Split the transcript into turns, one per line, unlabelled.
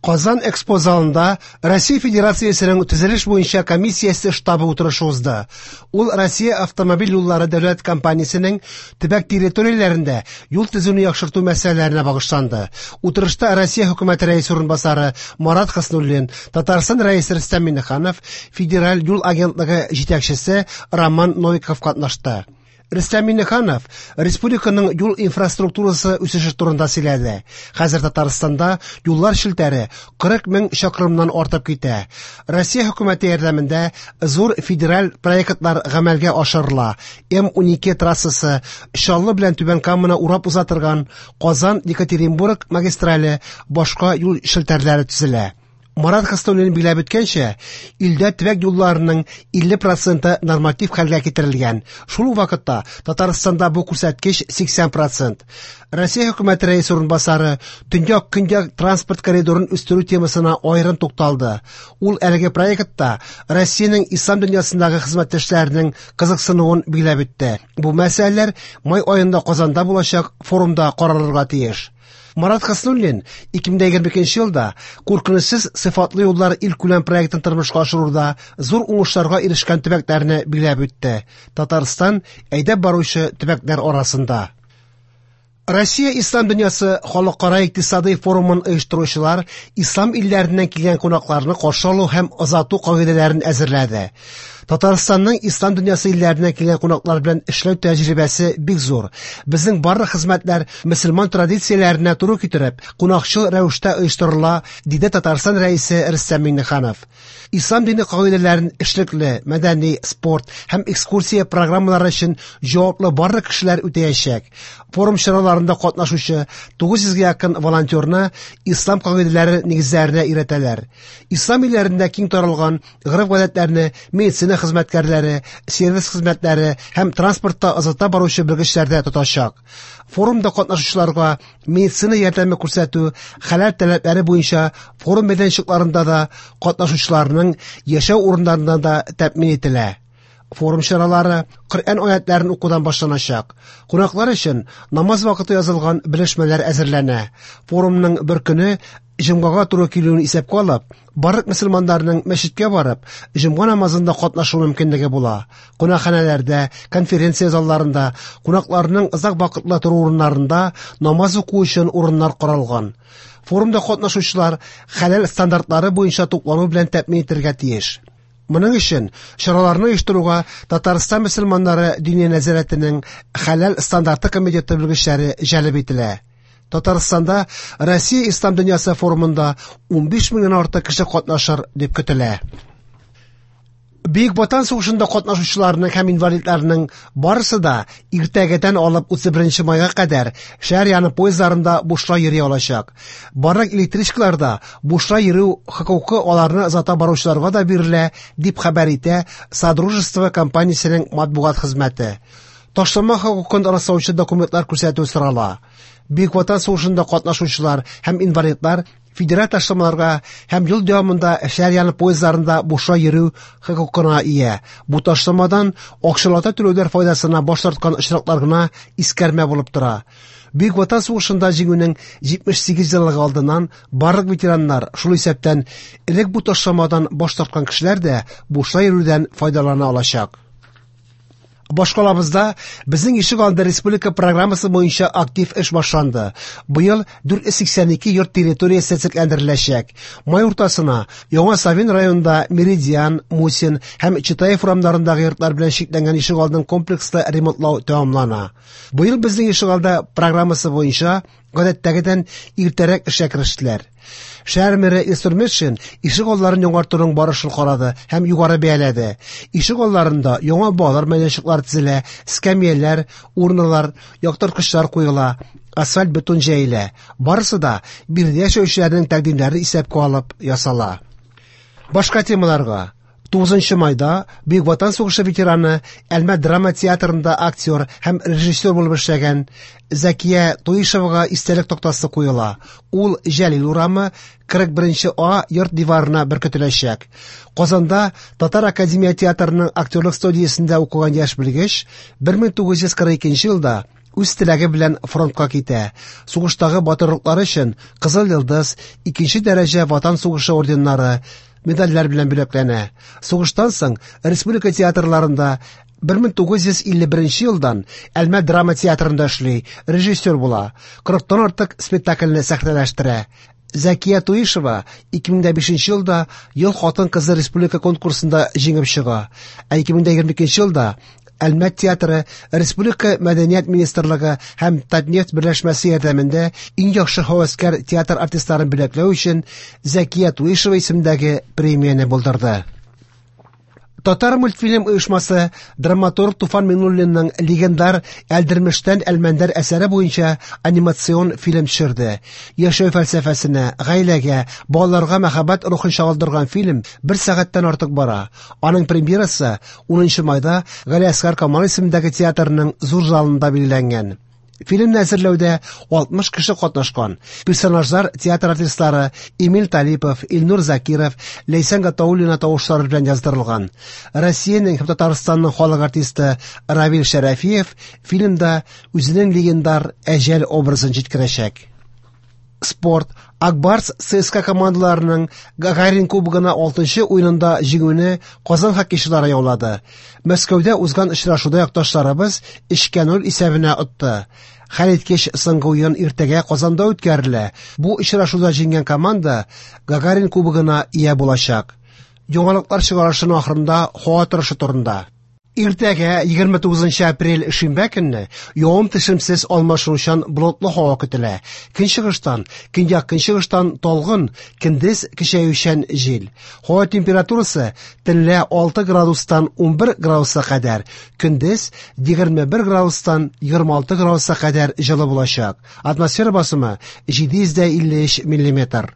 Казан Экспо залында Россия Федерациясенең төзелеш буенча комиссиясе штабы утырышы узды. Ул Россия автомобиль юллары дәүләт компаниясенең төбәк территорияләрендә юл төзүне яхшырту мәсьәләләренә багышланды. Утырышта Россия хөкүмәте рәисе урынбасары Марат Хөснуллин, Татарстан рәисе Рөстәм Миңнеханов, Федераль юл агентлыгы җитәкчесе Роман Новиков катнашты. Рөстәм Миңнеханов республиканың юл инфраструктурасы үсеше турында сөйләде. Хәзер Татарстанда юллар челтәре 40 мең чакрымнан артып китә. Россия хөкүмәте ярдәмендә зур федераль проектлар гамәлгә ашырыла. М12 трассасы, Чаллы белән Түбән Каманы урап уза торган Казан-Екатеринбург магистрале, башка юл челтәрләре төзелә. Марат Хөснуллин билгеләп үткәнчә, илдә төбәк юлларының 50 проценты норматив хәлгә китерелгән. Шул ук вакытта Татарстанда бу күрсәткеч 80 процент. Россия хөкүмәте рәисе урынбасары Төньяк-Көньяк транспорт коридорын үстерү темасына аерым тукталды. Ул әлеге проектта Россиянең ислам дөньясындагы хезмәттәшләренең кызыксынуын билгеләп үтте. Бу мәсьәләләр май аенда Казанда булачак форумда каралырга тиеш. Марат Хөснуллин 2022 елда куркынычсыз сыйфатлы юллар илкүләм проектын тормышка ашыруда зур уңышларга ирешкән төбәкләрне билгеләп үтте. Татарстан әйдәп баручы төбәкләр арасында. Россия Ислам дөньясы халыкара икътисадый форумын оештыручылар ислам илләреннән килгән кунакларны каршы алу һәм озату кагыйдәләрен әзерләде. Татарстанның ислам дөньясы илләреннән килгән кунаклар белән эшләү тәҗрибәсе бик зур. Безнең барлык хезмәтләр мөселман традицияләренә туры китереп, кунакчыл рәвештә оештырыла, диде Татарстан Рәисе Рөстәм Миңнеханов. Ислам дине кагыйдәләрен эшлекле, мәдәни, спорт һәм экскурсия программалары өчен җаваплы барлык кешеләр үтәячәк. Форум чараларында катнашучы 900 гә якын волонтерны ислам кагыйдәләре нигезләренә өйрәтәләр. Ислам илләрендә киң таралган гореф-гадәтләрне медицина хезмәткәрләре, сервис хезмәтләре һәм транспортта озата баручы белгечләр дә тотачак. Форумда катнашучыларга медицина ярдәме күрсәтү хәләл таләпләре буенча форум мәйданчыкларында да, катнашучыларның яшәү урыннарында да тәэмин ителә. Форум чаралары Коръән аятларын укудан башланачак. Кунаклар өчен намаз вакыты язылган белешмәләр әзерләнә. Форумның бер көне җомгага туры килүен исәпкә алып, барлык мөселманнарның мәчеткә барып, җомга намазында катнашу мөмкинлеге була. Кунакханәләрдә, конференция залларында, кунакларның озак вакытлы тору урыннарында намаз уку өчен урыннар каралган. Форумда катнашучылар хәләл стандартлары буенча туклану белән тәэмин итәргә тиеш. Моның өчен чараларны оештыруга Татарстан мөселманнары Диния нәзарәтенең хәләл стандарты комитеты белгечләре җәлеп ителә. Татарстанда Россия ислам дөньясы форумында 15 меңнән артык кеше катнашыр дип көтелә. Бөек Ватан сугышында катнашучыларның һәм инвалидларның барысы да иртәгәдән алып 31 майга кадәр шәһәр яны поездларында бушлай йөри алачак. Барлык электричкаларда бушлай йөрү хокукы аларны озата баручыларга да бирелә, дип хәбәр итә Содружество компаниясенең матбугат хезмәте. Ташлама хокукын раслаучы документлар күрсәтү сорала. Бөек Ватан сугышында катнашучылар һәм инвалидлар федераль ташламаларга һәм ел дәвамында шәһәр яны поездларында бушлай йөрү хокукына ия. Бу ташламадан акчалата түләүләр файдасына баш тарткан очраклар гына искәрмә булып тора. Бөек Ватан сугышында җиңүнең 78 еллыгы алдыннан барлык ветераннар, шул исәптән элек бу ташламадан баш тарткан кешеләр дә бушлай йөрүдән файдалана алачак. Башкалабызда Безнең ишек алды республика программасы буенча актив эш башланды. Быел 482 йорт территориясе төзекләндереләчәк. Май уртасына Яңа Савин районында Меридиан, Мусин һәм Читаев урамнарындагы йортлар белән чикләнгән ишек алдын комплекслы ремонтлау тәмамлана. Быел Безнең ишек алды программасы буенча гадәттәгедән иртәрәк эшкә керештеләр. Шәһәр мэры Илсур Метшин ишек алларын яңартуның барышын карады һәм югары бәяләде. Ишек алларында яңа балалар мәйданчыклары төзелә, скамьяләр, урналар, яктырткычлар куела, асфальт бетон җәелә. Барысы да биредә яшәүчеләрнең тәкъдимнәрен исәпкә алып ясала. Башка темаларга 9 майда Бөек Ватан сугышы ветераны, Әлмәт драма театрында актер һәм режиссер булып эшләгән Зәкия Туишевага истәлек тактасы куела. Ул Җәлил урамы 41 А йорт диварына беркетеләчәк. Казанда Татар академия театрының актерлык студиясендә укыган яшь белгеч 1942 елда үз теләге белән фронтка китә. Сугыштагы батырлыклары өчен Кызыл Йолдыз, икенче дәрәҗә Ватан сугышы орденнары, медальләр белән бүләкләнә. Сугыштан соң республика театрларында 1951 елдан Әлмәт драма театрында эшли, режиссер була. 40-тан артык спектакльне сәхнәләштерә. Зәкия Туишева 2005 елда Ел хатын-кызы республика конкурсында җиңеп чыга. Ә 2022 елда Әлмәт театры Республика Мәдәният министрлыгы һәм Татнефть берләшмәсе ярдәмендә иң яхшы һәвәскәр театр артистларын бүләкләү өчен Зәкия Туишева исемендәге премияне булдырды. Татар мультфильм оешмасы драматург Туфан Миңнуллинның легендар Әлдермештән Әлмәндәр әсәре буенча анимацион фильм төшерде. Яшәү фәлсәфәсенә, гаиләгә, балаларга мәхәббәт рухын чагылдырган фильм бер сәгатьтән артык бара. Аның премьерасы 10 майда Галиәсгар Камал исемендәге театрның зур залында билгеләнгән. Фильмны әзерләүдә 60 кеше катнашкан. Персонажлар театр артистлары Эмиль Талипов, Илнур Закиров, Ләйсән Гатауллина тавышлары белән яздырылган. Россиянең һәм Татарстанның халык артисты Равил Шәрәфиев фильмда үзенең легендар Әҗәл образын җиткерәчәк. Спорт. Ак Барс ЦСКА командаларының Гагарин кубогына 6 уенында җиңүне Казан хоккейчылары яулады. Мәскәүдә узган очрашуда якташларыбыз 3-0 исәбенә отты. Хәлиткеч соңгы уен иртәгә Казанда үткәрелә. Бу очрашуда җиңгән команда Гагарин кубогына ия булачак. Яңалыклар чыгарышының ахырында һава торышы турында. Иртәгә 29 апрель шимбә көнне явым-төшемсез алмашынучан болытлы һава көтелә. Көнчыгыштан, көньяк-көнчыгыштан талгын, көндез көчәючән җил. Һава температурасы төнлә 6 градустан 11 градуска кадәр, көндез 21 градустан 26 градуска кадәр җылы булачак. Атмосфера басымы 753 миллиметр.